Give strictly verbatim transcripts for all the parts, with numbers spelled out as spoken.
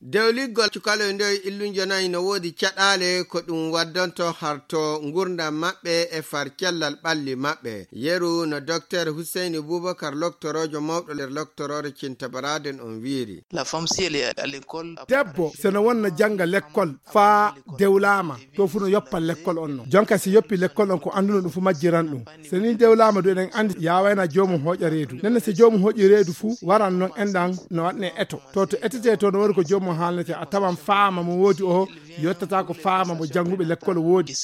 Dewliggol cukaloy ndoy illunjo nayi no woodi caɗaale ko ɗum waddonto harto ngurdam maɓɓe e far cellal ɓalli maɓɓe. Yeru no Doktor Huseyni Bubakar, loktoroojo mawɗo nder loktoroore Cinta Baraden on wiiri. La femme, si elle est à l'école, debbo, so no wonna jannga lekkol faa dewlaama, to fu no yoppa lekkol on non. Jonka si yoppi lekkol on, ko annduno ɗum fu majjiran ɗum. So ni dewlaama du, eɗen anndi yaawayna joomum hooƴa reedu. Nenne so joomum hooƴi reedu fu, waran non enɗan no waɗne eto. To, to etetee to, no woni ko joomum haalnete, a tawan faama mo woodi o yottata ko faama mo jannguɓe lekkol woodi.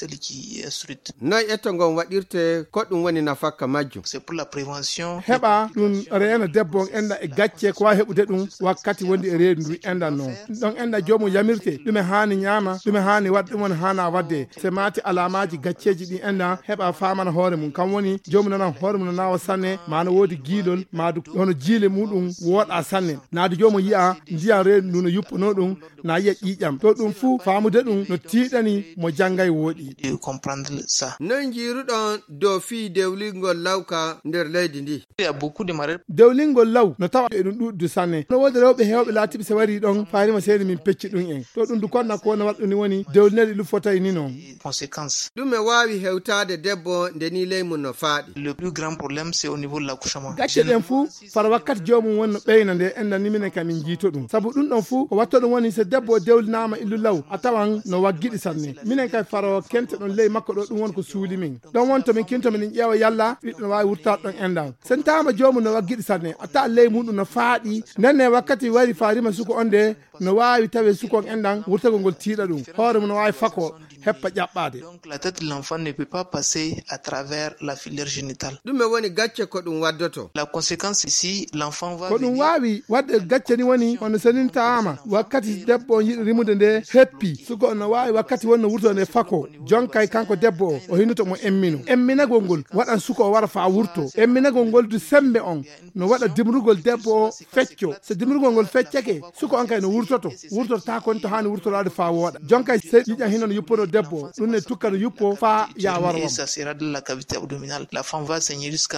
Noy eto ngon waɗirte, ko ɗum woni nafakka majjum? C'est pour la prévention. Heɓa ɗum reena debbo on enɗan e gacce ko waawi heɓude ɗum wakkati wondi e reedu ndu enɗan non. Ɗon enɗan joomum yamirte, ɗume haani ñaama, ɗume haani waɗ-, ɗum woni haana waɗde. Se maati alaamaaji gacceeji ɗi enɗan heɓa faamana hoore mum. Kam woni joomum nana hoore mum no naawa sanne, maa no woodi giilol, maa du hono jiile muɗum wooɗa sanne. Naadu joomum yi'a ndiyan reedu ndu no yuppanoo ɗum, na yi'a ƴiiƴam. To ɗum fuu faamude ɗum no tiiɗani mo janngay wooɗi. De comprendre ça. Noy njiiruɗon dow fii dewlingol lawka nder leydi ndi? Il y a beaucoup de maladies. Dewlingol law no tawa e ɗum ɗuɗdu sanne. No woodi rewɓe heewɓe laatiiɓe se warii ɗon, faarima seeni min pecci ɗum en. To ɗum du konna ko wona waɗɗuni woni dewlinel ilu fotay ni non. Conséquence. Ɗum e waawi hewtaade debbo nde ni ley mum no faaɗi. Le plus grand problème, c'est au niveau de l'accouchement. Gacce ɗen fuu fara wakkati joomum woni no ɓeyna nde enɗan ni minen ka min jiito ɗum. Sabu ɗum ɗon fuu ko watto ɗum woni so debbo o dewlinaama illu law, a tawan no waggiɗi sanne. Minen kay faro kente ɗon ley makko ɗo ɗum woni ko suuli min. Ɗon woni to min kinto min ƴeewa yalla ɓiɗɗo no waawi wurtaade ɗon enɗan. Sen taama joomum no waggiɗi sanne, a tawa ley muɗum no faaɗi. Nden ne wakkati wari faarima suko on de, no waawi tawe suko on enɗan wurtagol ngol tiiɗa ɗum. Hoore mum no waawi fako heppa ƴaɓɓaade. Donc la tête de l'enfant ne peut pas passer à travers la filaire génitale. Ɗume woni gacce ko ɗum waddoto? La conséquence ici, l'enfant va ko ɗum venir waawi waɗde gacce ni woni hono senintaama wakkati debbo on yiɗi rimude nde heppi. Suko on no waawi wakkati wonno wurto nde fako. Jonkay kanko debbo o, o hinnoto mo emmino. Emminagol ngol waɗan suko o wara faa wurto. Emminagol ngol du sembe on no waɗa dimrugol debbo o fecco. So dimrugol ngol feccake, suko on kay no wurtoto. Wurtoto taa kon to haani wurtoraade faa wooɗa. Jonkay se ƴiiƴam hino no yuppono debbo o, ɗum ne tukka no yuppo faa yaa waro on. Ça sera de la cavité abdominale. La femme va saigner jusqu'à